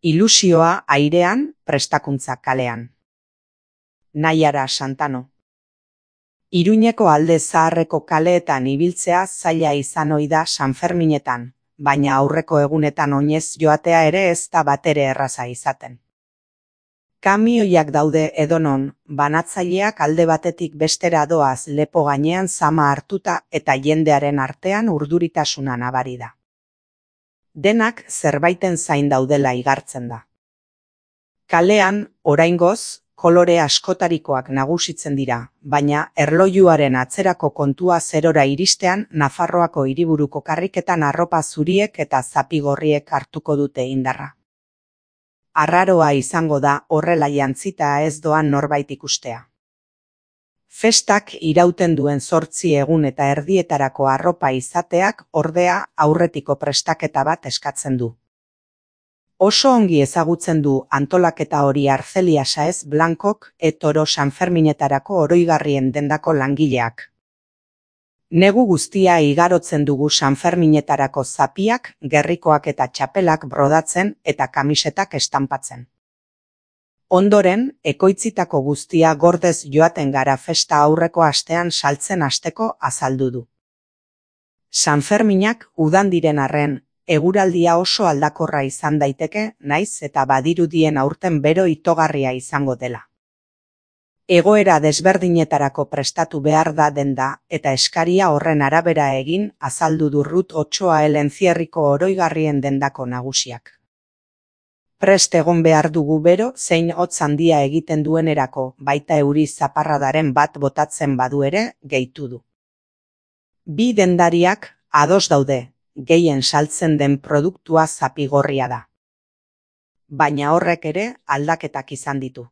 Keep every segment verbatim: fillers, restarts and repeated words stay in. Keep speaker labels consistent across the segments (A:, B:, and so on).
A: Ilusioa airean, prestakuntza kalean. Naiara Santano. Iruñeko alde zaharreko kaleetan ibiltzea zaila izan ohi da Sanferminetan, baina aurreko egunetan oinez joatea ere ez da batere erraza izaten. Kamioiak daude edonon, banatzaileak alde batetik bestera doaz lepo gainean zama hartuta eta jendearen artean urduritasuna nabari da. Denak zerbaiten zain daudela igartzen da. Kalean, oraingoz, kolore askotarikoak nagusitzen dira, baina erlojuaren atzerako kontua zerora iristean Nafarroako hiriburuko karriketan arropa zuriek eta zapigorriek hartuko dute indarra. Arraroa izango da horrela jantzita ez doan norbait ikustea. Festak irauten duen zortzi egun eta erdietarako arropa izateak ordea aurretiko prestaketa bat eskatzen du. Oso ongi ezagutzen du antolaketa hori Arcelia Saez Blancok et Oro Sanferminetarako oroigarrien dendako langileak. Negu guztia igarotzen dugu Sanferminetarako zapiak, gerrikoak eta txapelak brodatzen eta kamisetak estanpatzen. Ondoren, ekoitzitako guztia gordez joaten gara festa aurreko astean saltzen hasteko azaldu du. Sanferminak udan diren arren, eguraldia oso aldakorra izan daiteke, naiz eta badirudien aurten bero itogarria izango dela. Egoera desberdinetarako prestatu behar da denda eta eskaria horren arabera egin azaldu du Rut Otsoa Elencierriko oroigarrien dendako nagusiak. Prest egon behar dugu bero zein hotz handia egiten duenerako, baita euri zaparradaren bat botatzen badu ere, gehitu du. Bi dendariak ados daude, gehien saltzen den produktua zapigorria da. Baina horrek ere aldaketak izan ditu.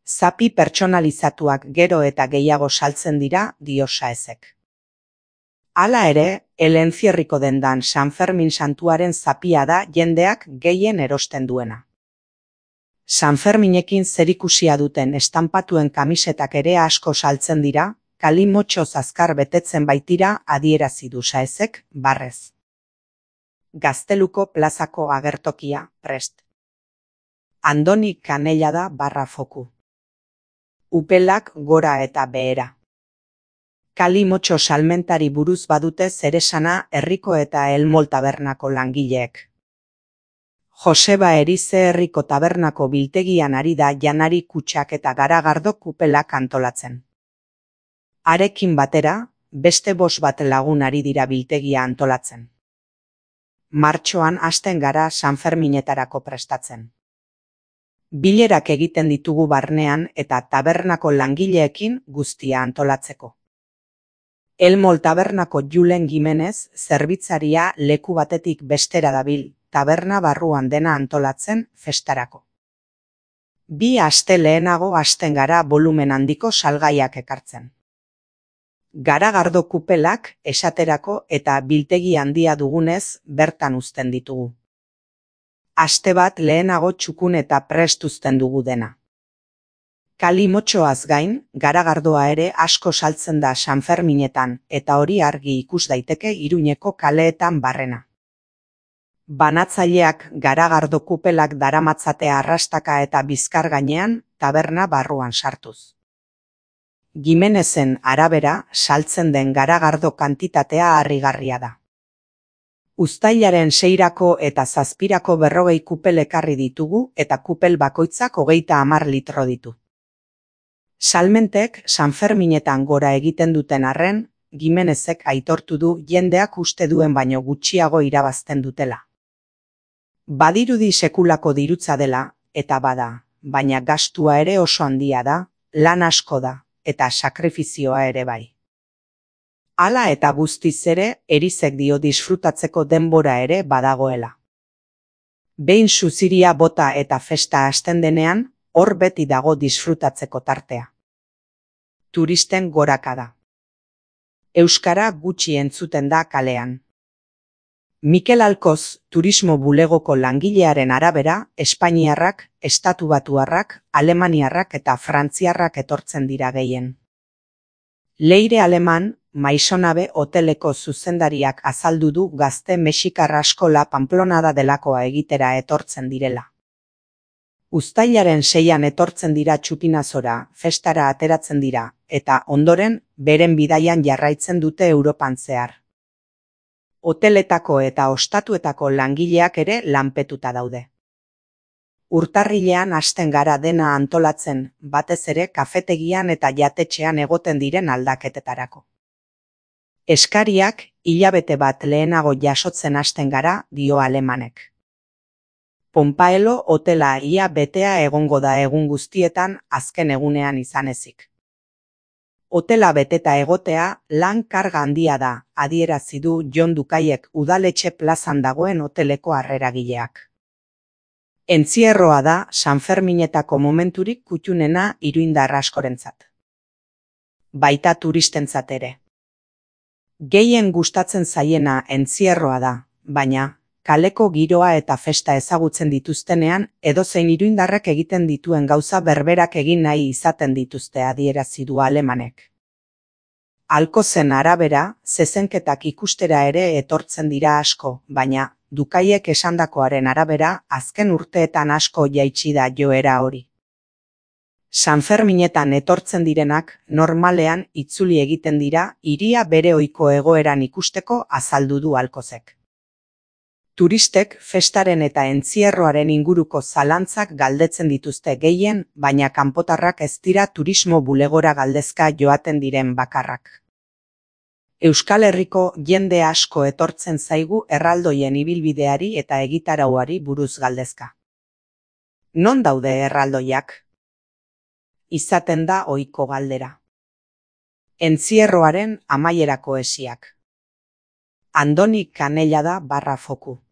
A: Zapi pertsonalizatuak gero eta gehiago saltzen dira, dio Saezek. Hala ere, Elencierriko dendan Sanfermin santuaren zapia da jendeak gehien erosten duena. Sanferminekin zerikusia duten estanpatuen kamisetak ere asko saltzen dira, kalimotxoz azkar betetzen baitira adierazi du Saezek, barrez. Gazteluko plazako agertokia, prest. Andoni Kanella da barra foku. Upelak gora eta behera. Kalimotxo salmentari buruz badute zeresana herriko eta Elmol tabernako langileek. Joseba Erize herriko tabernako biltegian ari da janari kutxak eta garagardo kupelak antolatzen. Harekin batera, beste bost bat lagun ari dira biltegia antolatzen. Martxoan hasten gara Sanferminetarako prestatzen. Bilerak egiten ditugu barnean eta tabernako langileekin guztia antolatzeko. Elmol tabernako Julen Gimenez zerbitzaria leku batetik bestera dabil, taberna barruan dena antolatzen festarako. Bi aste lehenago hasten gara volumen handiko salgaiak ekartzen. Garagardo kupelak esaterako eta biltegi handia dugunez bertan uzten ditugu. Aste bat lehenago txukun eta prest uzten dugu dena. Kalimotxoaz gain, garagardoa ere asko saltzen da Sanferminetan eta hori argi ikus daiteke Iruñeko kaleetan barrena. Banatzaileak garagardo kupelak daramatzatea arrastaka eta bizkar gainean taberna barruan sartuz. Gimenezen arabera saltzen den garagardo kantitatea harrigarria da. Uztailaren seirako eta zazpirako berrogei kupel ekarri ditugu eta kupel bakoitzak hogeita hamar litro ditu. Salmentek Sanferminetan gora egiten duten arren, Gimenezek aitortu du jendeak uste duen baino gutxiago irabazten dutela. Badirudi sekulako dirutza dela, eta bada, baina gastua ere oso handia da, lan asko da, eta sakrifizioa ere bai. Hala eta guztiz ere, Erizek dio disfrutatzeko denbora ere badagoela. Behin suziria bota eta festa hasten denean, hor beti dago disfrutatzeko tartea. Turisten gorakada. Euskara gutxi entzuten da kalean. Mikel Alkoz, turismo bulegoko langilearen arabera, Espainiarrak, Estatubatuarrak, Alemaniarrak eta Frantziarrak etortzen dira gehien. Leire aleman, Maisonabe hoteleko zuzendariak azaldu du gazte mexikar askola Pamplonada delakoa egitera etortzen direla. Uztailaren seian etortzen dira Txupinazora, festara ateratzen dira, eta ondoren beren bidaian jarraitzen dute Europan zehar. Hoteletako eta ostatuetako langileak ere lanpetuta daude. Urtarrilean hasten gara dena antolatzen, batez ere kafetegian eta jatetxean egoten diren aldaketetarako. Eskariak hilabete bat lehenago jasotzen hasten gara, dio alemanek. Pompaelo hotela ia betea egongo da egun guztietan azken egunean izan ezik. Hotela beteta egotea lan karga handia da, adierazi du Jon Dukaiek udaletxe plazan dagoen hoteleko harreragileak. Entzierroa da Sanferminetako momenturik kuttunena iruindar askorentzat. Baita turistentzat ere. Gehien gustatzen zaiena entzierroa da, baina kaleko giroa eta festa ezagutzen dituztenean edozein iruindarrek egiten dituen gauza berberak egin nahi izaten dituzte, adierazi du alemanek. Alkozen arabera, zezenketak ikustera ere etortzen dira asko, baina Dukaiek esandakoaren arabera azken urteetan asko jaitsi da joera hori. Sanferminetan etortzen direnak normalean itzuli egiten dira hiria bere ohiko egoeran ikusteko, azaldu du Alkozek. Turistek festaren eta entzierroaren inguruko zalantzak galdetzen dituzte gehien, baina kanpotarrak ez dira turismo bulegora galdezka joaten diren bakarrak. Euskal Herriko jende asko etortzen zaigu erraldoien ibilbideari eta egitarauari buruz galdezka. Non daude erraldoiak? Izaten da ohiko galdera. Entzierroaren amaierako esiak. Andoni Kanellada barra foku.